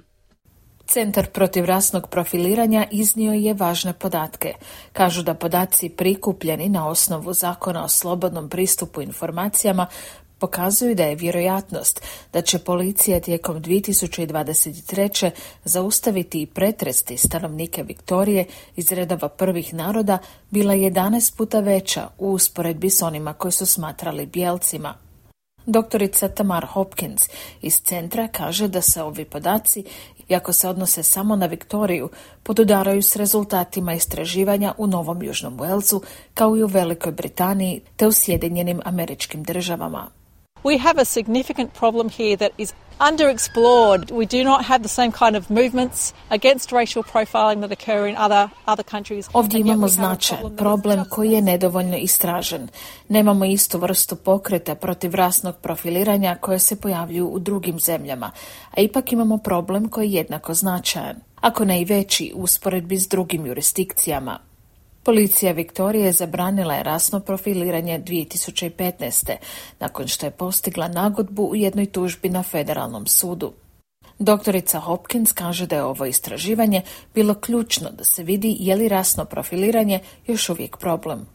Centar protiv rasnog profiliranja iznio je važne podatke. Kažu da podaci prikupljeni na osnovu zakona o slobodnom pristupu informacijama pokazuju da je vjerojatnost da će policija tijekom dvije tisuće dvadeset treće zaustaviti i pretresti stanovnike Viktorije iz redova prvih naroda bila jedanaest puta veća u usporedbi s onima koji su smatrali bijelcima. Doktorica Tamar Hopkins iz centra kaže da se ovi podaci, iako se odnose samo na Viktoriju, podudaraju s rezultatima istraživanja u Novom Južnom Walesu, kao i u Velikoj Britaniji te u Sjedinjenim Američkim Državama. We have a significant problem here that is underexplored. We do not have the same kind of movements against racial profiling that occur in other other countries. Ovdje imamo značajan problem koji je nedovoljno istražen. Nemamo istu vrstu pokreta protiv rasnog profiliranja koje se pojavljuju u drugim zemljama, a ipak imamo problem koji je jednako značajan, ako ne i veći u usporedbi s drugim jurisdikcijama. Policija Viktorije zabranila je rasno profiliranje dvije tisuće petnaeste. nakon što je postigla nagodbu u jednoj tužbi na federalnom sudu. Doktorica Hopkins kaže da je ovo istraživanje bilo ključno da se vidi je li rasno profiliranje još uvijek problem.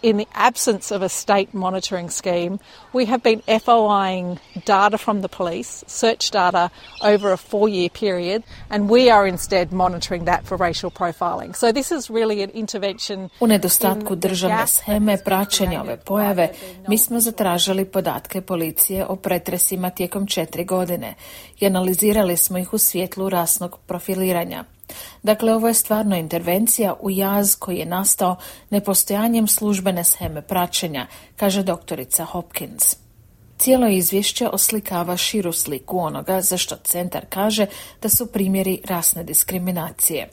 In the absence of a state monitoring scheme, we have been F O I-ing data from the police, search data over a four-year period, and we are instead monitoring that for racial profiling. So this is really an intervention. U nedostatku državne sheme praćenja ove pojave, mi smo zatražili podatke policije o pretresima tijekom četiri godine i analizirali smo ih u svjetlu rasnog profiliranja. Dakle, ovo je stvarno intervencija u jaz koji je nastao nepostojanjem službene sheme praćenja, kaže doktorica Hopkins. Cijelo izvješće oslikava širu sliku onoga za što centar kaže da su primjeri rasne diskriminacije.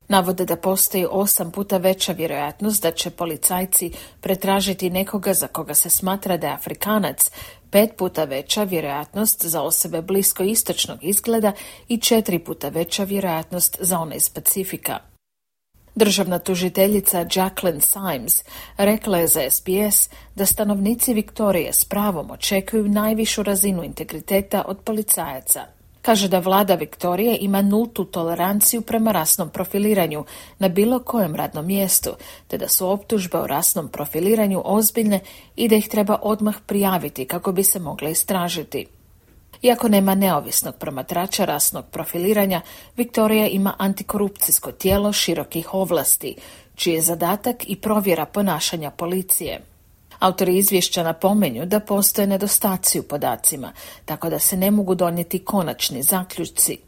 Navode da postoji osam puta veća vjerojatnost da će policajci pretražiti nekoga za koga se smatra da je Afrikanac, pet puta veća vjerojatnost za osobe blisko istočnog izgleda i četiri puta veća vjerojatnost za one iz Pacifika. Državna tužiteljica Jacqueline Symes rekla je za S B S da stanovnici Viktorije s pravom očekuju najvišu razinu integriteta od policajaca. Kaže da vlada Viktorije ima nultu toleranciju prema rasnom profiliranju na bilo kojem radnom mjestu, te da su optužbe o rasnom profiliranju ozbiljne i da ih treba odmah prijaviti kako bi se mogle istražiti. Iako nema neovisnog promatrača rasnog profiliranja, Viktorija ima antikorupcijsko tijelo širokih ovlasti, čiji je zadatak i provjera ponašanja policije. Autori izvješća napominju da postoje nedostaci u podacima, tako da se ne mogu donijeti konačni zaključci.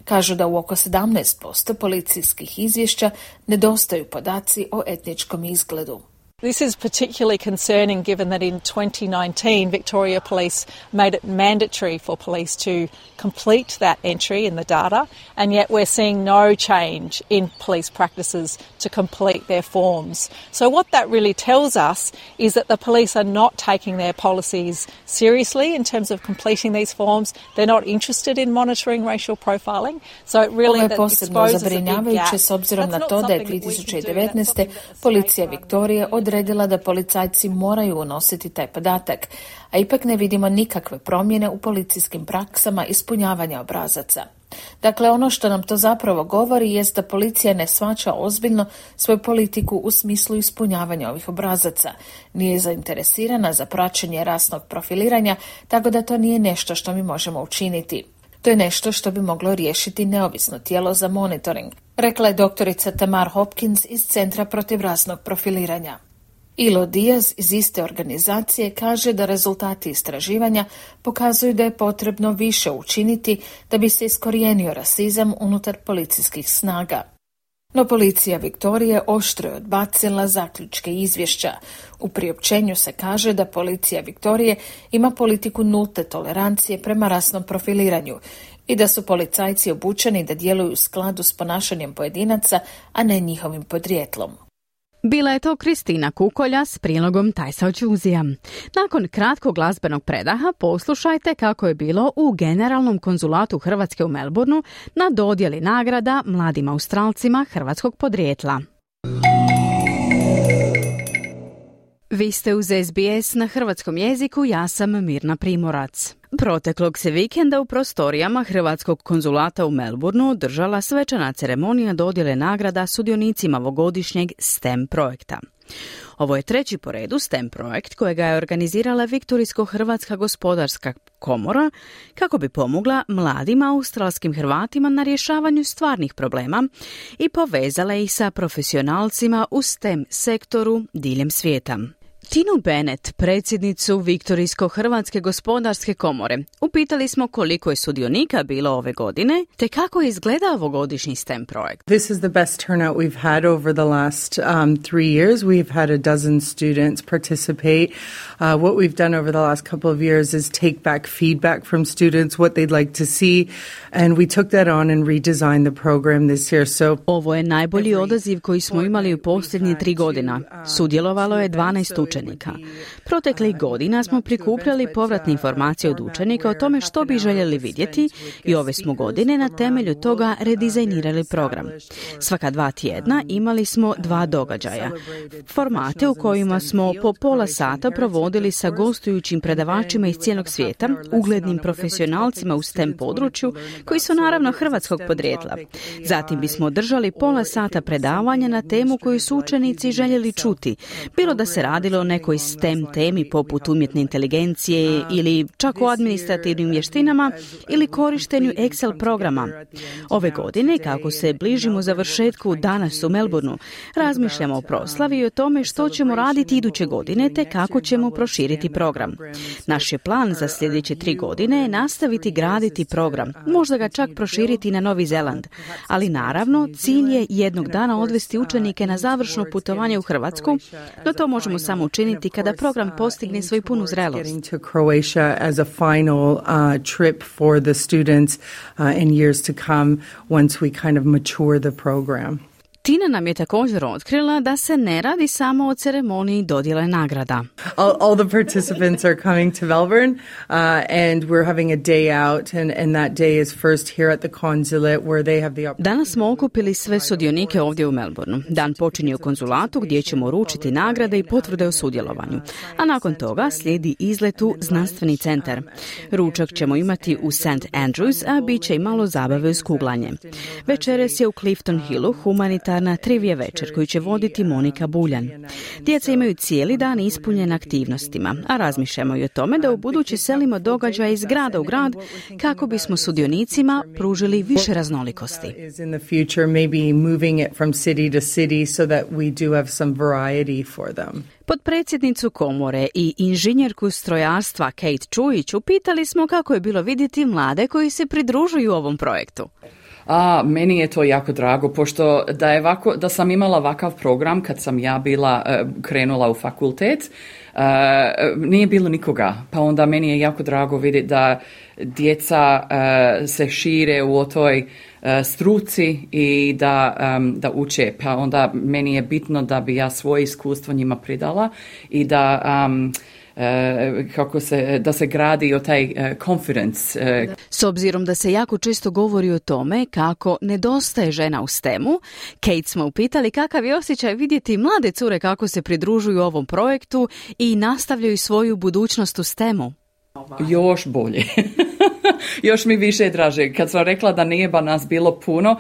Kažu da u oko sedamnaest posto policijskih izvješća nedostaju podaci o etničkom izgledu. This is particularly concerning given that in twenty nineteen Victoria Police made it mandatory for police to complete that entry in the data, and yet we're seeing no change in police practices to complete their forms. So what that really tells us is that the police are not taking their policies seriously in terms of completing these forms. They're not interested in monitoring racial profiling. So it really Ovo je posebno zabrinjavajuće s obzirom na to da je dvije tisuće devetnaeste policija Viktorije odredila da policajci moraju unositi taj podatak, a ipak ne vidimo nikakve promjene u policijskim praksama ispunjavanja obrazaca. Dakle, ono što nam to zapravo govori jest da policija ne shvaća ozbiljno svoju politiku u smislu ispunjavanja ovih obrazaca. Nije zainteresirana za praćenje rasnog profiliranja, tako da to nije nešto što mi možemo učiniti. To je nešto što bi moglo riješiti neovisno tijelo za monitoring, rekla je doktorica Tamar Hopkins iz Centra protiv rasnog profiliranja. Ilo Diaz iz iste organizacije kaže da rezultati istraživanja pokazuju da je potrebno više učiniti da bi se iskorijenio rasizam unutar policijskih snaga. No policija Viktorije oštro je odbacila zaključke izvješća. U priopćenju se kaže da policija Viktorije ima politiku nulte tolerancije prema rasnom profiliranju i da su policajci obučeni da djeluju u skladu s ponašanjem pojedinaca, a ne njihovim podrijetlom. Bila je to Kristina Kukolja s prilogom Tajsa Ođuzija. Nakon kratkog glazbenog predaha poslušajte kako je bilo u Generalnom konzulatu Hrvatske u Melbourneu na dodjeli nagrada mladim Australcima hrvatskog podrijetla. Vi ste uz S B S na hrvatskom jeziku, ja sam Mirna Primorac. Proteklog se vikenda u prostorijama Hrvatskog konzulata u Melbourneu održala svečana ceremonija dodjele nagrada sudionicima ovogodišnjeg S T E M projekta. Ovo je treći po redu S T E M projekt kojega je organizirala Viktorijsko-Hrvatska gospodarska komora kako bi pomogla mladim australskim Hrvatima na rješavanju stvarnih problema i povezala ih sa profesionalcima u S T E M sektoru diljem svijeta. Tinu Bennett, predsjednicu Viktorijsko-hrvatske gospodarske komore, upitali smo koliko je sudionika bilo ove godine, te kako je izgledao ovogodišnji STEM projekt. This is the best turnout we've had over the last um, three years. We've had a dozen students participate. Uh, what we've done over the last couple of years is take back feedback from students, what they'd like to see, and we took that on and redesigned the program this year. So ovo je najbolji odaziv koji smo imali u posljednje tri godina. Sudjelovalo je dvanaest učenika. Proteklih godina smo prikupljali povratne informacije od učenika o tome što bi željeli vidjeti i ove smo godine na temelju toga redizajnirali program. Svaka dva tjedna imali smo dva događaja. Formate u kojima smo po pola sata provodili sa gostujućim predavačima iz cijelog svijeta, uglednim profesionalcima u STEM području, koji su naravno hrvatskog podrijetla. Zatim bismo održali pola sata predavanja na temu koju su učenici željeli čuti, bilo da se radilo o nekoj STEM temi poput umjetne inteligencije ili čak o administrativnim vještinama ili korištenju Excel programa. Ove godine, kako se bližimo završetku danas u Melbourneu, razmišljamo o proslavi i o tome što ćemo raditi iduće godine te kako ćemo proširiti program. Naš je plan za sljedeće tri godine je nastaviti graditi program, možda ga čak proširiti na Novi Zeland. Ali naravno, cilj je jednog dana odvesti učenike na završno putovanje u Hrvatsku, no to možemo samo učiniti kada program postigne svoju punu zrelost. Tina nam je također otkrila da se ne radi samo o ceremoniji dodjele nagrada. All, all the participants are coming to Melbourne uh, and we're having a day out and, and that day is first here at the consulate where they have the opportunity. Danas smo okupili sve sudionike ovdje u Melbourneu. Dan počinje u konzulatu gdje ćemo uručiti nagrade i potvrde o sudjelovanju. A nakon toga slijedi izlet u znanstveni centar. Ručak ćemo imati u Saint Andrews, a bit će i malo zabave uz kuglanje. Večeras je u Clifton Hillu humanitarna na trivije večer koju će voditi Monika Buljan. Djeca imaju cijeli dan ispunjen aktivnostima, a razmišljamo i o tome da u budući selimo događaje iz grada u grad kako bismo sudionicima pružili više raznolikosti. Potpredsjednicu komore i inženjerku strojarstva Kate Čujić upitali smo kako je bilo vidjeti mlade koji se pridružuju ovom projektu. A, meni je to jako drago, pošto da, je ovako, da sam imala ovakav program kad sam ja bila uh, krenula u fakultet, uh, nije bilo nikoga. Pa onda meni je jako drago vidjeti da djeca uh, se šire u toj uh, struci i da, um, da uče. Pa onda meni je bitno da bi ja svoje iskustvo njima pridala i da... Um, Uh, kako se, da se gradi o taj uh, confidence. Uh. S obzirom da se jako često govori o tome kako nedostaje žena u stemu, Kate smo upitali kakav je osjećaj vidjeti mlade cure kako se pridružuju ovom projektu i nastavljaju svoju budućnost u stemu. Još bolje. Još mi više draže. Kad sam rekla da nije ba nas bilo puno, uh,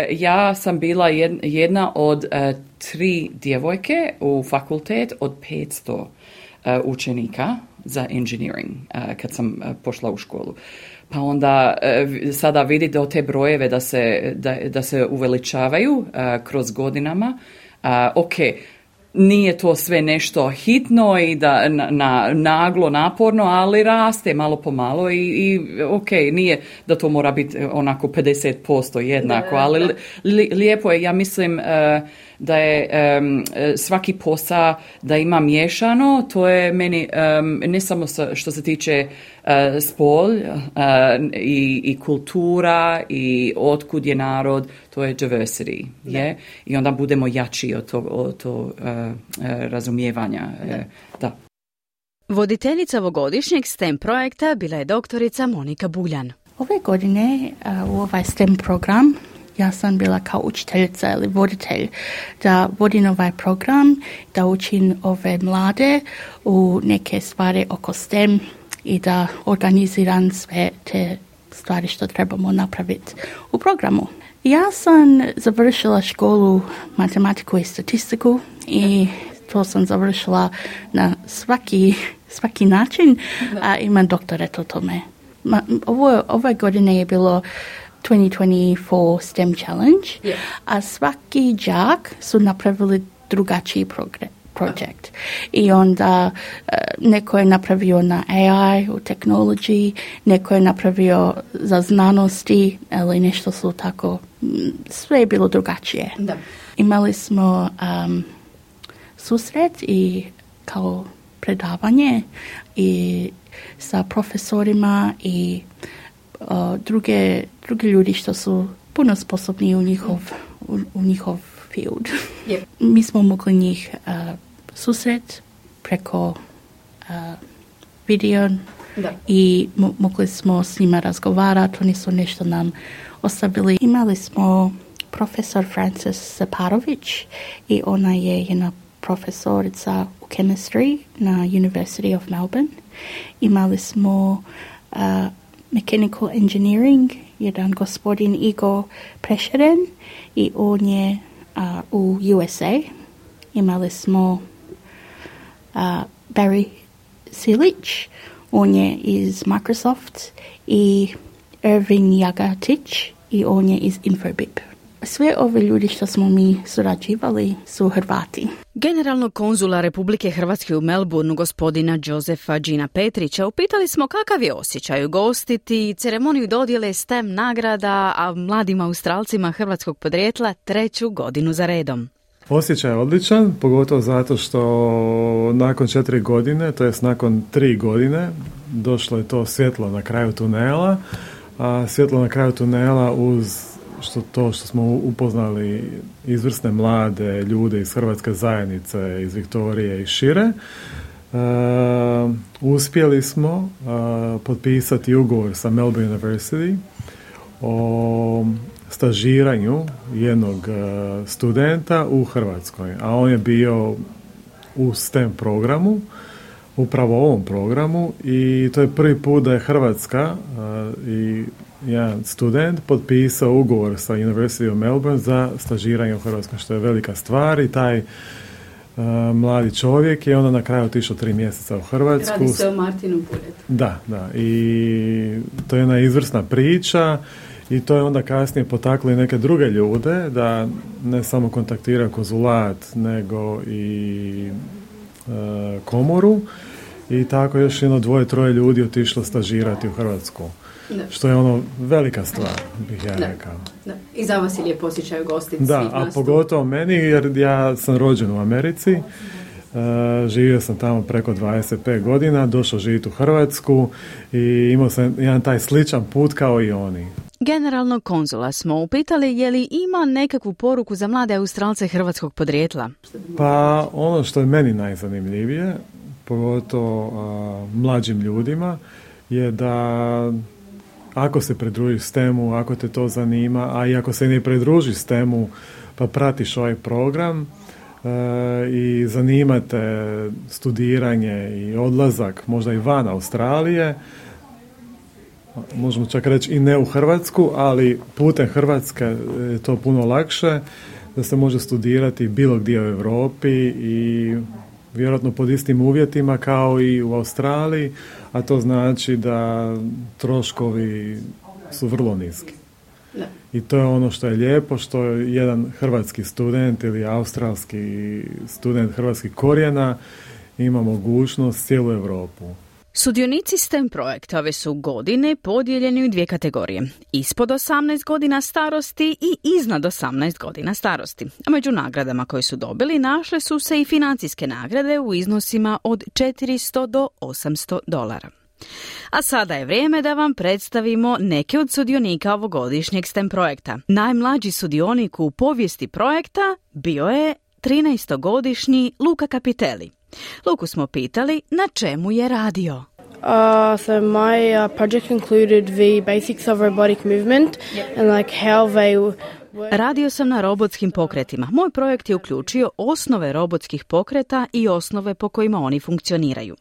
ja sam bila jedna od uh, tri djevojke u fakultet od petsto Uh, učenika za engineering uh, kad sam uh, pošla u školu. Pa onda uh, sada vidite od te brojeve da se, da, da se uveličavaju uh, kroz godinama. Uh, ok, nije to sve nešto hitno i da na, na, naglo, naporno, ali raste malo po malo i, i ok, nije da to mora biti onako pedeset posto jednako, ali li, lijepo je, ja mislim uh, da je um, svaki posao da ima miješano, to je meni um, ne samo sa, što se tiče uh, spol uh, i, i kultura i otkud je narod, to je diversity. Je? I onda budemo jači od tog od to, uh, uh, razumijevanja. Uh, da. Voditeljica ovogodišnjeg STEM projekta bila je doktorica Monika Buljan. Ove godine uh, u ovaj STEM program ja sam bila kao učiteljica ili voditelj da vodim ovaj program, da učim ove mlade u neke stvari oko STEM i da organiziram sve te stvari što trebamo napraviti u programu. Ja sam završila školu matematiku i statistiku i to sam završila na svaki, svaki način, a imam doktorat o tome. Ma, ovo, ove godine je bilo twenty twenty-four STEM Challenge, yeah. A svaki đak su napravili drugačiji progr- project. I onda uh, neko je napravio na A I, u technology, neko je napravio za znanosti, ali nešto su tako, sve je bilo drugačije. Da. Imali smo um, susret i kao predavanje i sa profesorima i uh, druge, druge ljudi što su puno sposobni u njihov, u, u njihov field. Yep. Mi smo mogli njih uh, susret preko uh, video da. I mo- mogli smo s njima razgovarati, oni su nešto nam ostavili. Imali smo profesor Frances Zaparović i ona je jedna profesorica u chemistry na University of Melbourne. Imali smo uh, mechanical engineering, jedan gospodin Igor Prešeren i on je uh, u U S A. Imali smo uh, Barry Silić, on je iz Microsoft i Irvin Jagatić i on je iz Infobip. Sve ove ljudi što smo mi surađivali su Hrvati. Generalnog konzula Republike Hrvatske u Melbourneu, gospodina Jozefa Đina Petrića, upitali smo kakav je osjećaj ugostiti ceremoniju dodjele S T E M nagrada, a mladim Australcima hrvatskog podrijetla treću godinu za redom. Osjećaj je odličan, pogotovo zato što nakon četiri godine, to jest nakon tri godine, došlo je to svjetlo na kraju tunela, a svjetlo na kraju tunela uz što to što smo upoznali izvrsne mlade ljude iz hrvatske zajednice, iz Viktorije i šire, uh, uspjeli smo uh, potpisati ugovor sa Melbourne University o stažiranju jednog uh, studenta u Hrvatskoj, a on je bio u S T E M programu, upravo ovom programu, i to je prvi put da je Hrvatska uh, i jedan student potpisao ugovor sa University of Melbourne za stažiranje u Hrvatskoj, što je velika stvar, i taj uh, mladi čovjek je onda na kraju otišao tri mjeseca u Hrvatsku. Radi se o Martinu Buretu. Da, da, i to je jedna izvrsna priča i to je onda kasnije potaklo i neke druge ljude da ne samo kontaktiraju konzulat, nego i uh, komoru, i tako još jedno dvoje, troje ljudi otišlo stažirati u Hrvatsku. Da. Što je ono velika stvar, bih ja da. rekao. Da. I za vas je lijep osjećaj ugostiti. Da, a pogotovo meni, jer ja sam rođen u Americi, uh, živio sam tamo preko dvadeset pet godina, došao živjeti u Hrvatsku i imao sam jedan taj sličan put kao i oni. Generalnog konzula smo upitali je li ima nekakvu poruku za mlade Australce hrvatskog podrijetla. Pa ono što je meni najzanimljivije, pogotovo uh, mlađim ljudima, je da ako se pridružiš S T E M-u, ako te to zanima, a i ako se ne pridružiš S T E M-u pa pratiš ovaj program e, i zanimate studiranje i odlazak možda i van Australije, možemo čak reći i ne u Hrvatsku, ali putem Hrvatske je to puno lakše, da se može studirati bilo gdje u Europi i vjerojatno pod istim uvjetima kao i u Australiji, a to znači da troškovi su vrlo niski. Da. I to je ono što je lijepo, što je jedan hrvatski student ili australski student hrvatskih korijena ima mogućnost cijelu Europu. Sudionici S T E M projekta ove su godine podijeljeni u dvije kategorije. Ispod osamnaest godina starosti i iznad osamnaest godina starosti. A među nagradama koje su dobili našle su se i financijske nagrade u iznosima od četiristo do osamsto dolara. A sada je vrijeme da vam predstavimo neke od sudionika ovogodišnjeg S T E M projekta. Najmlađi sudionik u povijesti projekta bio je trinaestogodišnji Luka Kapitelli. Luku smo pitali na čemu je radio. Uh, so my uh, project included the basics of robotic movement and like how they work. Radio sam na robotskim pokretima. Moj projekt je uključio osnove robotskih pokreta i osnove po kojima oni funkcioniraju.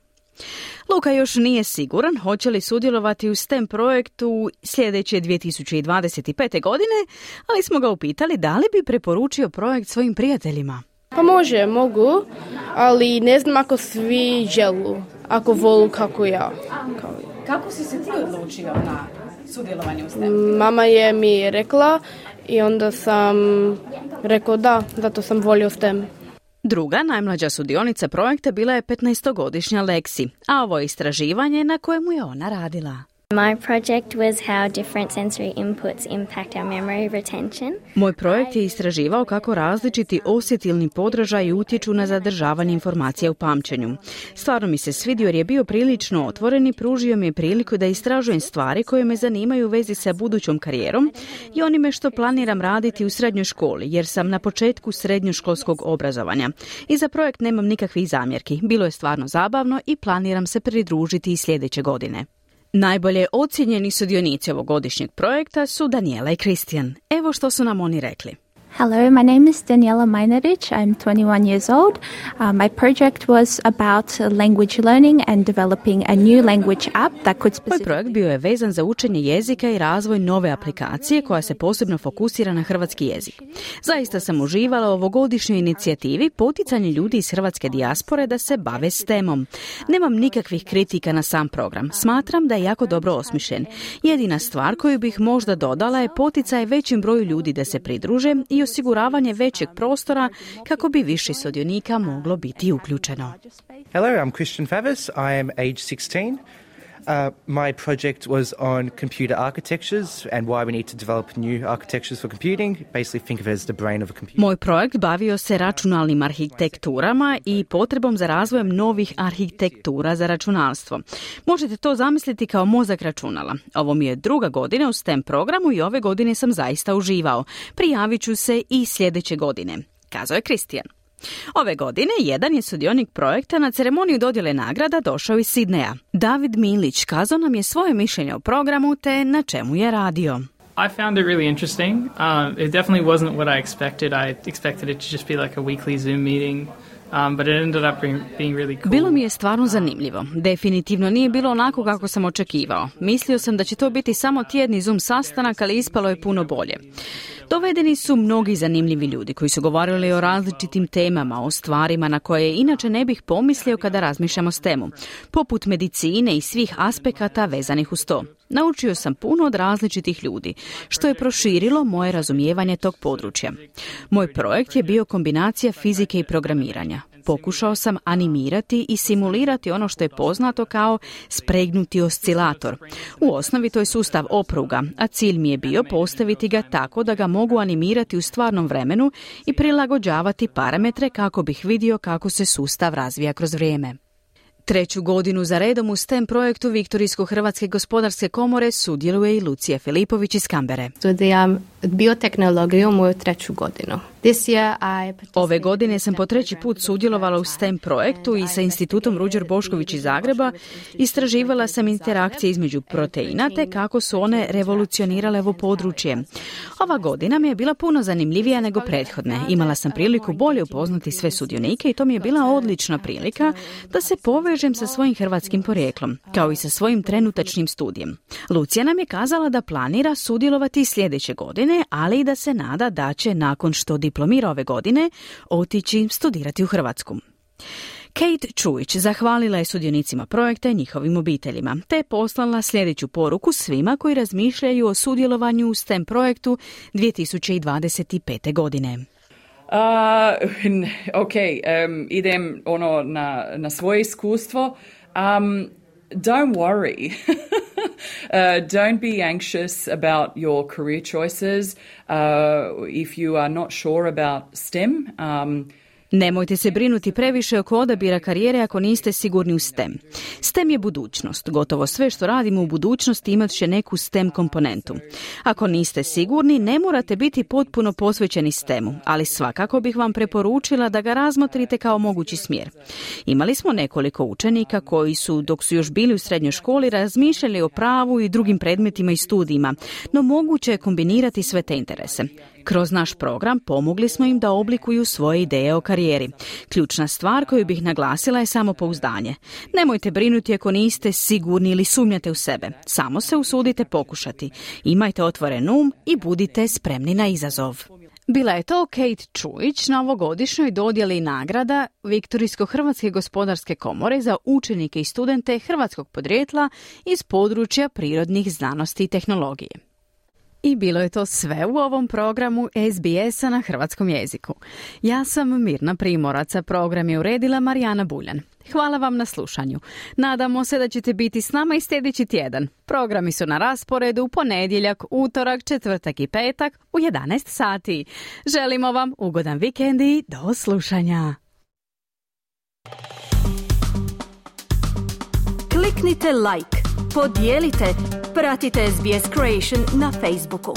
Luka još nije siguran hoće li sudjelovati u S T E M projektu sljedeće dvije tisuće dvadeset pete godine, ali smo ga upitali da li bi preporučio projekt svojim prijateljima. Pa može, mogu, ali ne znam ako svi želu, ako volu kako ja. Kao... Kako si se ti odlučio na sudjelovanje u S T E M? Mama je mi rekla i onda sam rekao da, zato sam volio S T E M. Druga, najmlađa sudionica projekta bila je petnaestogodišnja Lexi, a ovo je istraživanje na kojemu je ona radila. My project was how different sensory inputs impact our memory retention. Moj projekt je istraživao kako različiti osjetilni podražaji utječu na zadržavanje informacija u pamćenju. Stvarno mi se svidio jer je bio prilično otvoren i pružio mi je priliku da istražujem stvari koje me zanimaju u vezi sa budućom karijerom i onime što planiram raditi u srednjoj školi, jer sam na početku srednjoškolskog obrazovanja. I za projekt nemam nikakvih zamjerki. Bilo je stvarno zabavno i planiram se pridružiti i sljedeće godine. Najbolje ocijenjeni sudionici ovogodišnjeg projekta su Daniela i Kristijan. Evo što su nam oni rekli. Hello, my name is Daniela Majnarić. I'm twenty-one years old. Uh, my project was about language learning and developing a new language app that could specifically... Moj projekt bio je vezan za učenje jezika i razvoj nove aplikacije koja se posebno fokusira na hrvatski jezik. Zaista sam uživala u ovogodišnjoj inicijativi poticanje ljudi iz hrvatske dijaspore da se bave s temom. Nemam nikakvih kritika na sam program. Smatram da je jako dobro osmišljen. Jedina stvar koju bih možda dodala je poticaj većem broju ljudi da se pridruže i osiguravanje većeg prostora kako bi više sudionika moglo biti uključeno. Hello, I'm Christian Favas. I am age sixteen. Uh, my project was on computer architectures and why we need to develop new architectures for computing. Basically think of it as the brain of a computer. Moj projekt bavio se računalnim arhitekturama i potrebom za razvojem novih arhitektura za računalstvo. Možete to zamisliti kao mozak računala. Ovo mi je druga godina u STEM programu i ove godine sam zaista uživao. Prijavit ću se i sljedeće godine, kazao je Kristijan. Ove godine jedan je sudionik projekta na ceremoniju dodjele nagrada došao iz Sidneja. David Milić kazao nam je svoje mišljenje o programu te na čemu je radio. I found it really interesting. Um, it definitely wasn't what I expected. I expected it to just be like a weekly Zoom meeting. Um, but it ended up being, being really cool. Bilo mi je stvarno zanimljivo. Definitivno nije bilo onako kako sam očekivao. Mislio sam da će to biti samo tjedni Zoom sastanak, ali ispalo je puno bolje. Dovedeni su mnogi zanimljivi ljudi koji su govorili o različitim temama, o stvarima na koje inače ne bih pomislio kada razmišljamo o temu, poput medicine i svih aspekata vezanih uz to. Naučio sam puno od različitih ljudi, što je proširilo moje razumijevanje tog područja. Moj projekt je bio kombinacija fizike i programiranja. Pokušao sam animirati i simulirati ono što je poznato kao spregnuti oscilator. U osnovi to je sustav opruga, a cilj mi je bio postaviti ga tako da ga mogu animirati u stvarnom vremenu i prilagođavati parametre kako bih vidio kako se sustav razvija kroz vrijeme. Treću godinu za redom u STEM projektu Viktorijsko-Hrvatske gospodarske komore sudjeluje i Lucija Filipović iz Kambere. Studiram biotehnologiju moju treću godinu. Ove godine sam po treći put sudjelovala u STEM projektu i sa Institutom Ruđer Bošković iz Zagreba istraživala sam interakcije između proteina te kako su one revolucionirale ovo područje. Ova godina mi je bila puno zanimljivija nego prethodne. Imala sam priliku bolje upoznati sve sudionike i to mi je bila odlična prilika da se povežem sa svojim hrvatskim porijeklom, kao i sa svojim trenutačnim studijem. Lucija nam je kazala da planira sudjelovati sljedeće godine, ali i da se nada da će nakon što diplomira ove godine otići studirati u Hrvatsku. Kate Čujić zahvalila je sudionicima projekta i njihovim obiteljima, te je poslala sljedeću poruku svima koji razmišljaju o sudjelovanju u STEM projektu dvije tisuće dvadeset pete. godine. Uh, ok, um, idem ono na, na svoje iskustvo. Um, don't worry. uh, don't be anxious about your career choices. Uh, if you are not sure about STEM, um, Nemojte se brinuti previše oko odabira karijere ako niste sigurni u STEM. STEM je budućnost. Gotovo sve što radimo u budućnosti imat će neku STEM komponentu. Ako niste sigurni, ne morate biti potpuno posvećeni STEM-u, ali svakako bih vam preporučila da ga razmotrite kao mogući smjer. Imali smo nekoliko učenika koji su, dok su još bili u srednjoj školi, razmišljali o pravu i drugim predmetima i studijima, no moguće je kombinirati sve te interese. Kroz naš program pomogli smo im da oblikuju svoje ideje o karijeri. Ključna stvar koju bih naglasila je samopouzdanje. Nemojte brinuti ako niste sigurni ili sumnjate u sebe. Samo se usudite pokušati. Imajte otvoren um i budite spremni na izazov. Bila je to Kate Čujić na ovogodišnjoj dodjeli nagrada Viktorijsko-Hrvatske gospodarske komore za učenike i studente hrvatskog podrijetla iz područja prirodnih znanosti i tehnologije. I bilo je to sve u ovom programu S B S-a na hrvatskom jeziku. Ja sam Mirna Primorac, a program je uredila Marijana Buljan. Hvala vam na slušanju. Nadamo se da ćete biti s nama i sljedeći tjedan. Programi su na rasporedu u ponedjeljak, utorak, četvrtak i petak u jedanaest sati. Želimo vam ugodan vikend i do slušanja. Kliknite like, podijelite, pratite S B S Creation na Facebooku.